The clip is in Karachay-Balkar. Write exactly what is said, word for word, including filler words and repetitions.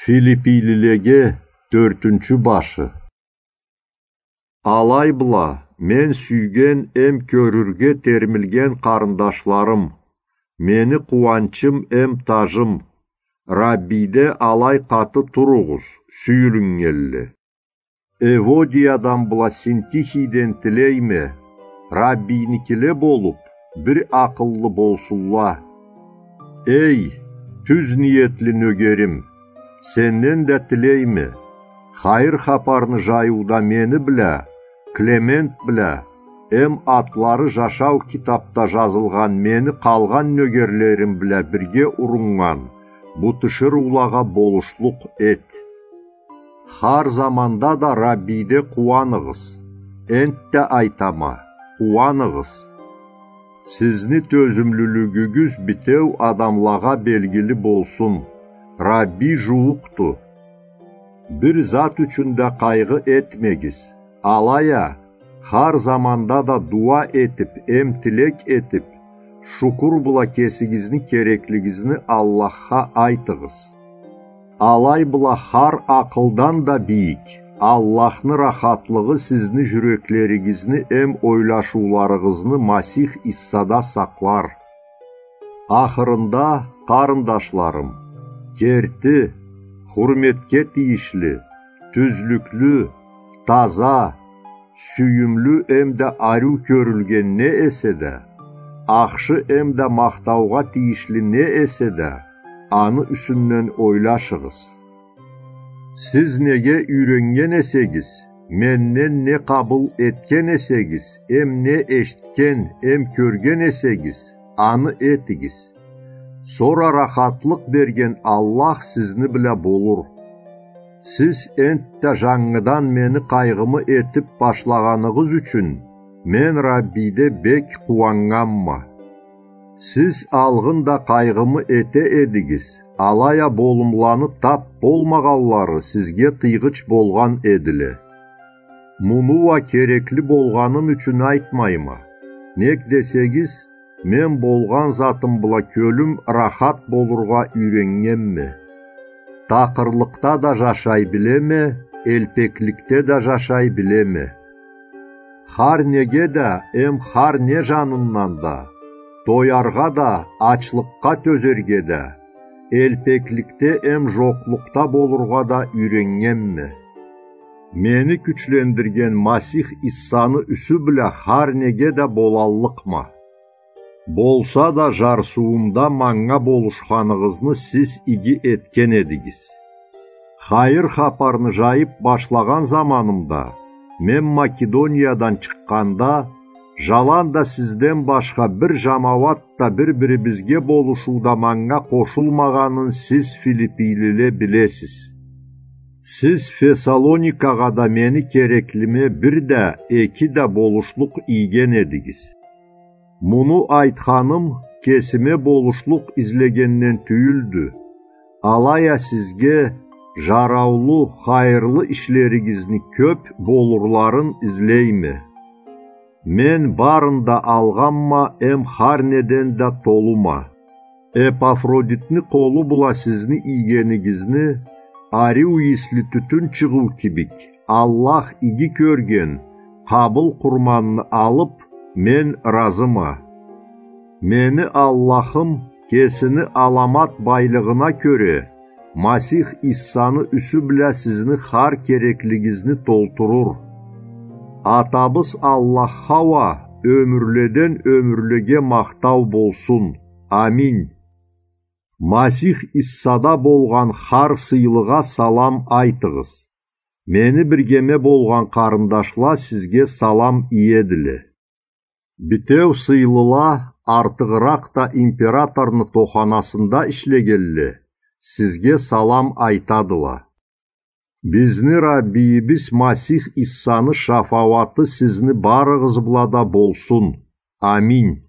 Филиппийлилеге тёртюнчю башы. Алай бла, мен сюйген эм кёрюрге термилген къарындашларым, мени къууанчым эм тажым, Раббийде алай къаты туругъуз, сюйюлюннгенле. Эводиядан бла Синтихийден тилейме, Раббийникиле болуп, бир акъыллы болсунла. Эй, тюз ниетли нёгерим, сенден да тилейме, хайыр хапарны жайыуда мени бла, Клемент бла, эм атлары жашау китапда жазылгъан мени къалгъан нёгерлерим бла бирге уруннган бу тиширыулагъа болушлукъ эт. Хар заманда да Раббийде къууаныгъыз. Энтда айтама, къууаныгъыз. Сизни тёзюмлюлюгюгюз битеу адамлагъа белгили болсун. Раббий жууукъду. Бир зат ючюн да къайгъы этмегиз. Алай а, хар заманда да дууа этип эм тилек этип, шукур бла кесигизни кереклигизни Аллахха айтыгъыз. Алай бла хар акъылдан да бийик Аллахны рахатлыгъы сизни жюреклеригизни эм ойлашыуларыгъызны Масих Иссада сакълар. Ахырында, къарындашларым, керти, хурметге тийишли, тюзлюклю, таза, сюйюмлю эмда ариу кёрюлген не эсе да, ахшы эмда махтаугъа тийишли не эсе да, аны юсюнден ойлашыгъыз. Сиз неге юйреннген эсегиз, менден не къабыл этген эсегиз, эм не эшитген, эм кёрген эсегиз, аны этигиз. Сора рахатлыкъ берген Аллах сизни бла болур. Сиз энтда жангыдан мени къайгъымы этип башлагъаныгъыз ючюн мен Раббийде бек къууаннганма. Сиз алгъын да къайгъымы эте эдигиз, алай а болумланы тап болмагъанлары сизге тыйгъыч болгъан эдиле. Муну уа керекли болгъаным ючюн айтмайма. Нек десегиз, мен болгъан затым бла кёлюм рахат болургъа юйреннгенме. Такъырлыкъда да жашай билеме, элпекликде да жашай билеме. Хар неге да эм хар не жанындан да, тояргъа да, ачлыкъгъа тёзерге да, элпекликде эм жокълукъда болургъа да юйреннгенме. Мени кючлендирген Масих Иссаны юсю бла хар неге да болаллыкъма. Болса да, жарсыуумда манга болушханыгъызны сиз иги этген эдигиз. Хайыр хапарны жайып башлагъан заманымда, мен Македониядан чыкъгъанда, жаланда сизден башха бир жамауат да бир-бирибизге болушууда манга къошулмагъанын сиз, филиппийлиле, билесиз. Сиз Фессалоникагъа да мени кереклиме бир да, эки да болушлукъ ийген эдигиз. Муну айтханым кесиме болушлукъ излегенден тюйюлдю. Алай а сизге жараулу, хайырлы ишлеригизни кёп болурларын излейме. Мен барын да алгъанма эм хар неден да толума. Эпафродитни къолу бла сизни ийгенигизни, ариу ийисли тютюн чыгъыу кибик, Аллах иги кёрген, къабыл къурманны алып, мен ыразыма. Мени Аллахым кесини аламат байлыгъына кёре, Масих Иссаны юсю бла сизни хар кереклигизни толтурур. Атабыз Аллахха уа ёмюрледен ёмюрлеге махтау болсун. Аминь. Масих Иссада болгъан хар сыйлыгъа салам айтыгъыз. Мени биргеме болгъан къарындашла сизге салам иедиле. Битеу сыйлыла, артыгъыракъ да императорну тоханасында ишлегенле, сизге салам айтадыла. Бизни Раббийибиз Масих Иссаны шафауаты сизни барыгъыз бла да болсун. Аминь.